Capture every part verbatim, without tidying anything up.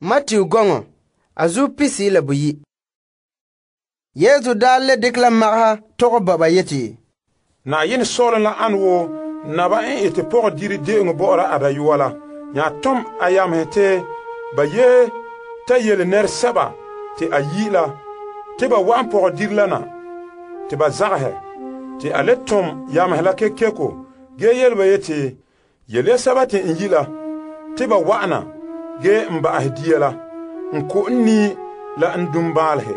Matthew gɔŋɔ a zuo pisi la boyi. Yesu daa le dekɛ la magaha tɔgɛ ba ba yeti, Na'ayenɛ Sɔ'ɔlom la ane wo naba n ete pɔgɔdire de'eŋɔ bɔ'ɔra a dayɔa la. Nya tom a yamehe te ba ye ta yele nɛresɛba te a yi' la te ba wa'an pɔgɔdire la na te ba zagahɛ. Te a le tom yamehe la kekeko ge yele ba yeti, yele ya sɛba te n yi' la te ba wa'ana ge n ba'ahɛ dia la, n ko' n nii la n dum baalehe.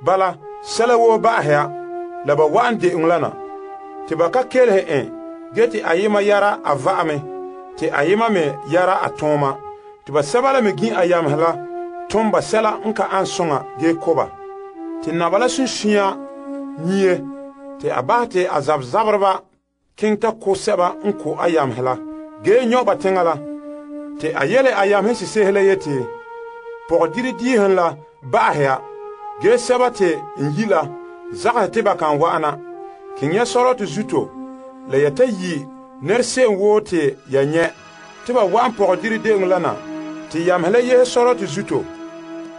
Bala, sɛla woo ba'ahɛ ya la ba wa'an de'eŋɔ la na. Te ba ka kelehe en ge te ayema yara a va'ame, te ayema me yara a tooma. Te ba sɛba la me gin a yamehe la tom ba sɛla n ka an soŋa ge ko ba. Te naba la sunsunya nyie, te a bahɛ te a zabzabereba keŋɛ ta ko sɛba n ko a yamehe la, ge nyɔ' ba teŋa la. Te a yele a yamehe sesehe la yeti, pɔgɔdire diihen la ba'ahɛ ya, ge sɛba te n yi' la zagahɛ te ba kan wa'ana. Keŋ ya Sɔrɔtɔ zuto la ya ta yi' nɛra se'em woo te ya nyɛ' te ba wa'an pɔgɔdire de'eŋɔ la na. Te yamehe la yehe Sɔrɔtɔ zuto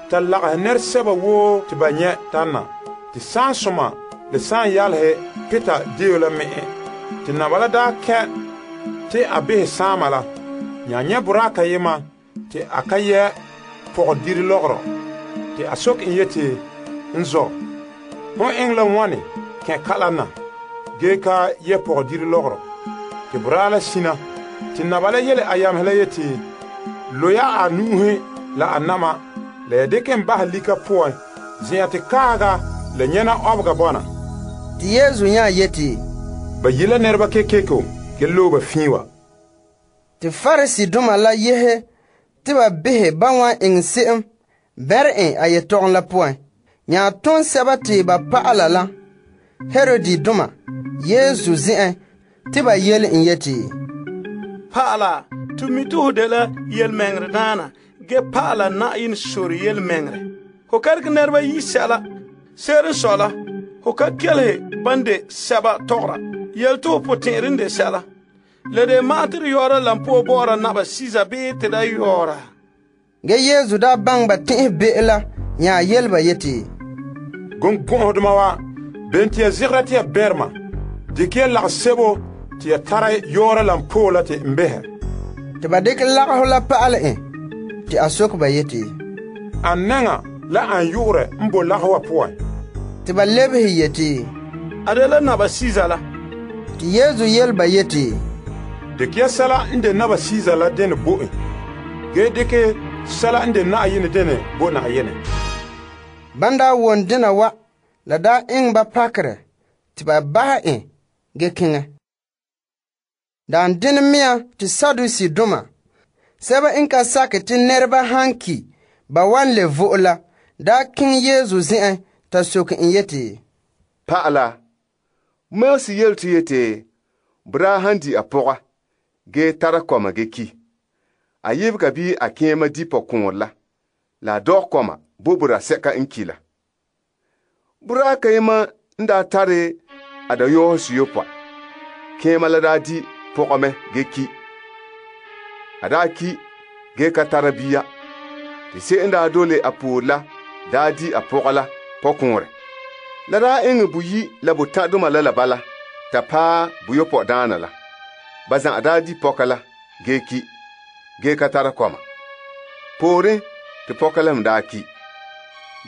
ta lagahɛ nɛresɛba woo te ba nyɛ' tana. Te saansoma le saan yalehe Peter deo la me'e. Te naba la daa kɛ' te a behɛ saama la. Nya nyɛ' boraa kayema te a ka yɛ' pɔgɔdire lɔgɔrɔ. Te a soke en yeti, n zɔ, hon eŋɛ la wane kɛ' kalam na ge ka yɛ' pɔgɔdire lɔgɔrɔ? Te boraa la sina. Te naba la yele a yamehe la yeti, lo ya a nu'uhe la a nama la ya dekɛ en bahɛ lika poan zen'an te kaaga la nyɛna ɔbega bɔna. Te Yesu nya yeti, ba yi' la nɛreba kekeko ge loe ba fii wa. Te Pariseedoma la yehe te ba behɛ ba wan eŋɛ se'em bɛre en a yetɔgom la poan. Nya tom sɛba te ba pa'ala la Herodidoma Yesu zen'en te ba yele en yeti, Pa'ala, to mi te ho dela yelmeŋere daana ge pa'ala Na'ayenɛ sore yelmeŋere. Ho ka dekɛ nɛreba yi sɛla. Se'ere n sɔe la, ho ka kelehe ban de sɛba tɔgɔra. Yele te ho potɛn'ɛrɛ n de sɛla. Le de ma'an te de yɔɔra la n po'o bɔ'ɔra naba Siza bii te da yɔɔra. Ge Yesu daa baŋɛ ba tɛn'ɛhe be'e la nya yele ba yeti, Gɔŋgɔ'ɔdoma wa, ben te ya zegera te ya bɛrema, dikɛ ya lagesebo te ya tara yɔɔra la n po'o la te n behɛ. Te ba dekɛ lagaho la pa'alɛ en te a soke ba yeti, An nɛŋa la an yu'urɛ n bo lagaho wa poan? te ba lebehe yeti, A de la naba Siza la. te Yesu yele ba yeti, Dikɛ ya sɛla n de naba Siza la dene bo en, ge dikɛ sɛla n de Na'ayenɛ dene bo Na'ayenɛ. ban daa wom dena wa la daa eŋɛ ba pakerɛ te ba bahɛ en ge keŋɛ. Daan dene mea te Sadusidoma, sɛba n ka sakɛ te nɛreba han ki ba wan le vo'e la, daa keŋɛ Yesu zen'en ta soke en yeti, Pa'ala, Mose yele to yeti, boraa han di a pɔga ge tara kɔma ge ki, a yebega bii a kẽema di pɔkõor la, la a dɔg kɔma bo boraa sɛka n ki la. Boraa kayema n daa tare a dayɔɔhe suyopɔa, kẽema la daa di pɔgame ge ki. A daa ki ge ka tara bia, te se'em daa dole a poor la daa di a pɔga la pɔkõorɛ. La daa eŋɛ boyi la botãdoma la la bala ta paɛ buyopɔe daana la. Ba za'a daa di pɔka la ge ki, ge ka tara kɔma. Pooren te pɔka la me daa ki.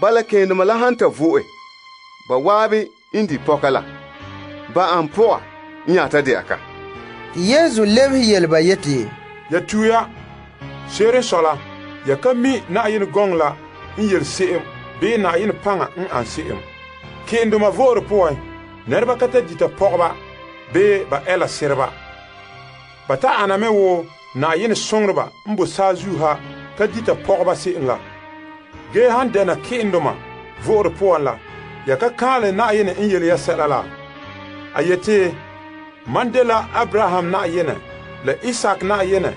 Bala kẽendoma la han ta vo'e, ba waabe n di pɔka la, ba an pɔga n yaa ta de'a ka. te Yesu lebehe yele ba yeti, Ya tuya, se'ere n sɔe la, ya ka mi Na'ayenɛ gɔŋɔ la n yele se'em bii Na'ayenɛ paŋa n an se'em. Ke'endoma vo'ore poan, nɛreba ka ta dita pɔgeba bii ba ɛla sereba. Ba ta ana me wo Na'ayenɛ soŋoreba n bo saazuo ha ka dita pɔgeba se'em la. Ge han dɛna ke'endoma vo'ore poan la, ya ka kãale Na'ayenɛ n yele ya sɛla la. A yeti, man dela Abraham Na'ayenɛ, la Isak Na'ayenɛ,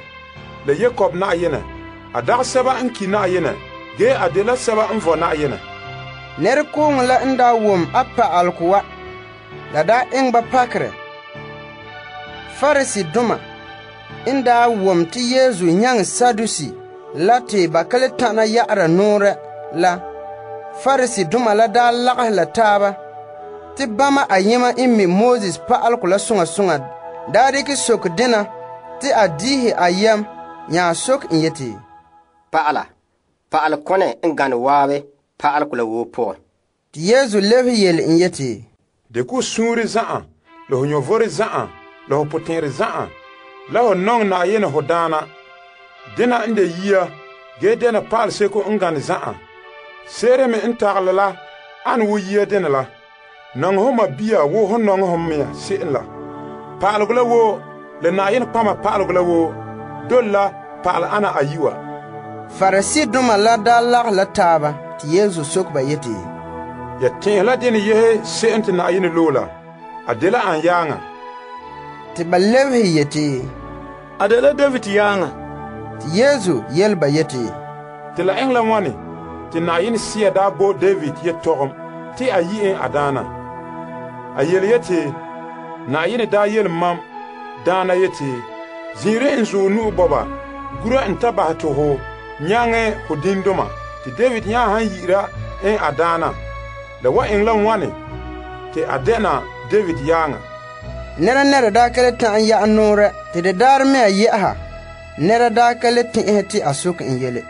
la Yakob Na'ayenɛ. A dag sɛba n ki Na'ayenɛ, ge a dela sɛba n vɔ Na'ayenɛ. nɛrekooŋɔ la n daa wom a pa'alegɔ wa, la daa eŋɛ ba pakerɛ. Pariseedoma n daa wom te Yesu nyaŋɛ Sadusi la te ba ka le tana ya'ara nɔɔrɛ la, Pariseedoma la daa lagahɛ la taaba te bama ayema n mi Moses pa'alegɔ la soŋa soŋa daa dikɛ soke dena te a diihe a yam nya soke en yeti, Pa'ala, pa'ale kɔnɛ n gane waabe pa'alegɔ la woo pɔgɛ. Te Yesu lebehe yele en yeti, De ko suunre za'an, la ho nyɔvɔre za'an, la ho potɛn'ɛrɛ za'an, la ho nɔŋɛ Na'ayenɛ ho daana. Dena n de yia, ge dena pa'ale seko n gane za'an. Seere me n tagelɛ la ane wo yia dena la. Nɔŋɛ ho mabia wo ho nɔŋɛ ho mea se'em la. Pa'alegɔ la woo, la Na'ayenɛ kpama pa'alegɔ la woo, dole la pa'ale ana ayiwa. Pariseedoma la daa lagɛ la taaba te Yesu soke ba yeti, Ya tɛn'ɛhe la dene yehe se'em te Na'ayenɛ loe la, a dela an yaaŋa. te ba lebehe yeti, A dela David yaaŋa. te Yesu yele ba yeti, Te la eŋɛ la wane te Na'ayenɛ Sea daa bo David yetɔgom te a yi en a daana. A yele yeti, Na'ayenɛ daa yele mam daana yeti, zin'ire n zuɔ nu'u bɔba, gura n ta bahɛ te ho nyaŋɛ ho dindoma, te David nya han yi'ira en a daana. La wa eŋɛ la wane te a dɛna David yaaŋa. nɛra nɛra daa ka le ta'an ya'a nɔɔrɛ te de daarɛ mea yɛ'ɛha, nɛra daa ka le tɛn'ɛhe te a soke en yele.